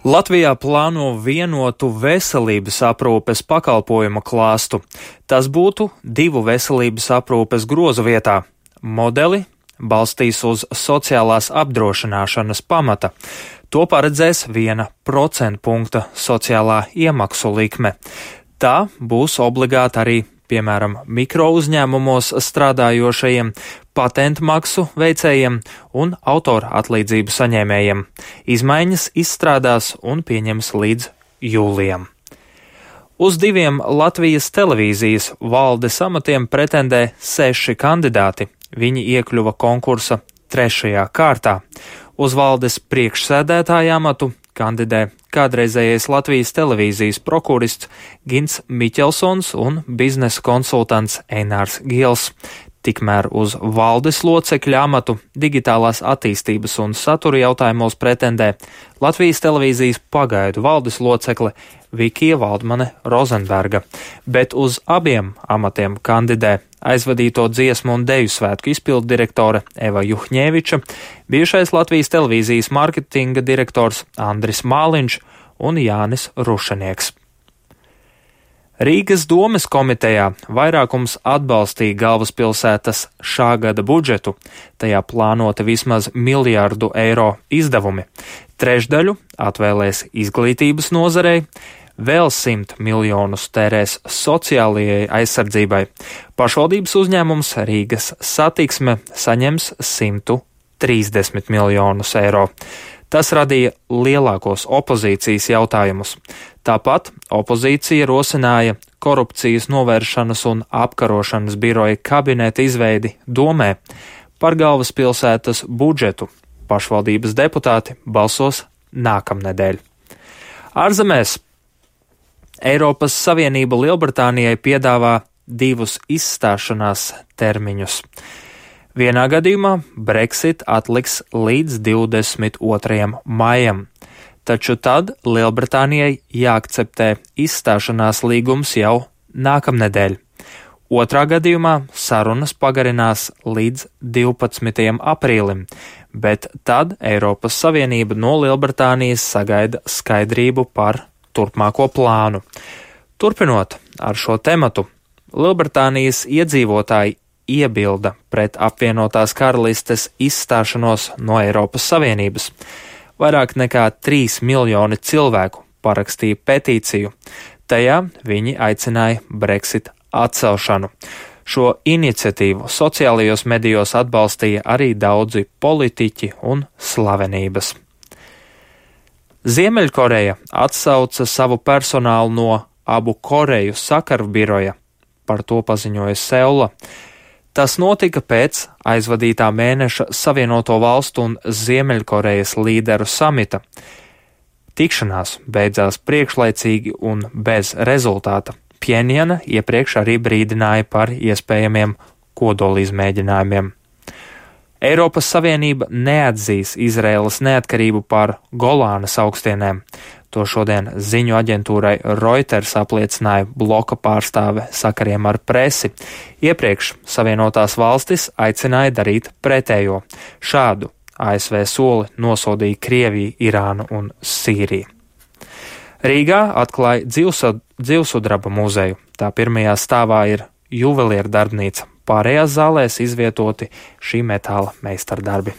Latvijā plāno vienotu veselības aprūpes pakalpojuma klāstu. Tas būtu 2 veselības aprūpes grozu vietā. Modeli balstīs uz sociālās apdrošināšanas pamata. To paredzēs 1% punkta sociālā iemaksu likme. Tā būs obligāta arī, piemēram, mikrouzņēmumos strādājošajiem, patentmaksu veicējiem un autora atlīdzību saņēmējiem. Izmaiņas izstrādās un pieņems līdz jūlijam. Uz 2 Latvijas televīzijas valdes amatiem pretendē 6 kandidāti. Viņi iekļuva konkursa 3. kārtā. Uz valdes priekšsēdētāja amatu kandidē kādreizējais Latvijas televīzijas prokurists Gints Miķelsons un biznesa konsultants Einārs Gils. Tikmēr uz valdes locekļa amatu digitālās attīstības un satura jautājumos pretendē Latvijas televīzijas pagaidu valdes locekle Vikija Valdmane Rozenberga, bet uz abiem amatiem kandidē aizvadīto dziesmu un deju svētku izpildu direktore Eva Juhņēviča, bijušais Latvijas televīzijas mārketinga direktors Andris Māliņš un Jānis Rušanieks. Rīgas domes komitejā vairākums atbalstīja galvaspilsētas šā gada budžetu. Tajā plānota vismaz 1 miljārdu eiro izdevumi. Trešdaļu atvēlēs izglītības nozarei, vēl 100 miljonus tērēs sociālajai aizsardzībai. Pašvaldības uzņēmums Rīgas satiksme saņems 130 miljonus eiro. Tas radīja lielākos opozīcijas jautājumus. Tāpat opozīcija rosināja korupcijas novēršanas un apkarošanas biroja kabineta izveidi domē par galvaspilsētas budžetu. Pašvaldības deputāti balsos nākamnedēļ. Ārzemēs Eiropas Savienība Lielbritānijai piedāvā 2 izstāšanās termiņus. Vienā gadījumā Brexit atliks līdz 22. maijam, taču tad Lielbritānijai jāakceptē izstāšanās līgums jau nākamnedēļ. Otrā gadījumā sarunas pagarinās līdz 12. aprīlim, bet tad Eiropas Savienība no Lielbritānijas sagaida skaidrību par turpmāko plānu. Turpinot ar šo tematu, Lielbritānijas iedzīvotāji iebilda pret apvienotās karalistes izstāšanos no Eiropas Savienības. Vairāk nekā 3 miljoni cilvēku parakstīja petīciju. Tajā viņi aicināja Brexit atcelšanu. Šo iniciatīvu sociālajos medijos atbalstīja arī daudzi politiķi un slavenības. Ziemeļkoreja atsauca savu personālu no abu Koreju sakaru biroja. Par to paziņoja Seula. Tas notika pēc aizvadītā mēneša Savienoto valstu un Ziemeļkorejas līderu samita. Tikšanās beidzās priekšlaicīgi un bez rezultāta. Pjenjana iepriekš arī brīdināja par iespējamiem kodolizmēģinājumiem. Eiropas Savienība neatzīs Izraēlas neatkarību pār Golānas augstienēm. To šodien ziņu aģentūrai Reuters apliecināja bloka pārstāve sakariem ar presi. Iepriekš Savienotās valstis aicināja darīt pretējo. Šādu ASV soli nosodīja Krieviju, Irānu un Sīriju. Rīgā atklāja dzīvsudraba muzeju. Tā pirmajā stāvā ir juvelieru darbnīca. Pārējās zālēs izvietoti šī metāla meistardarbi.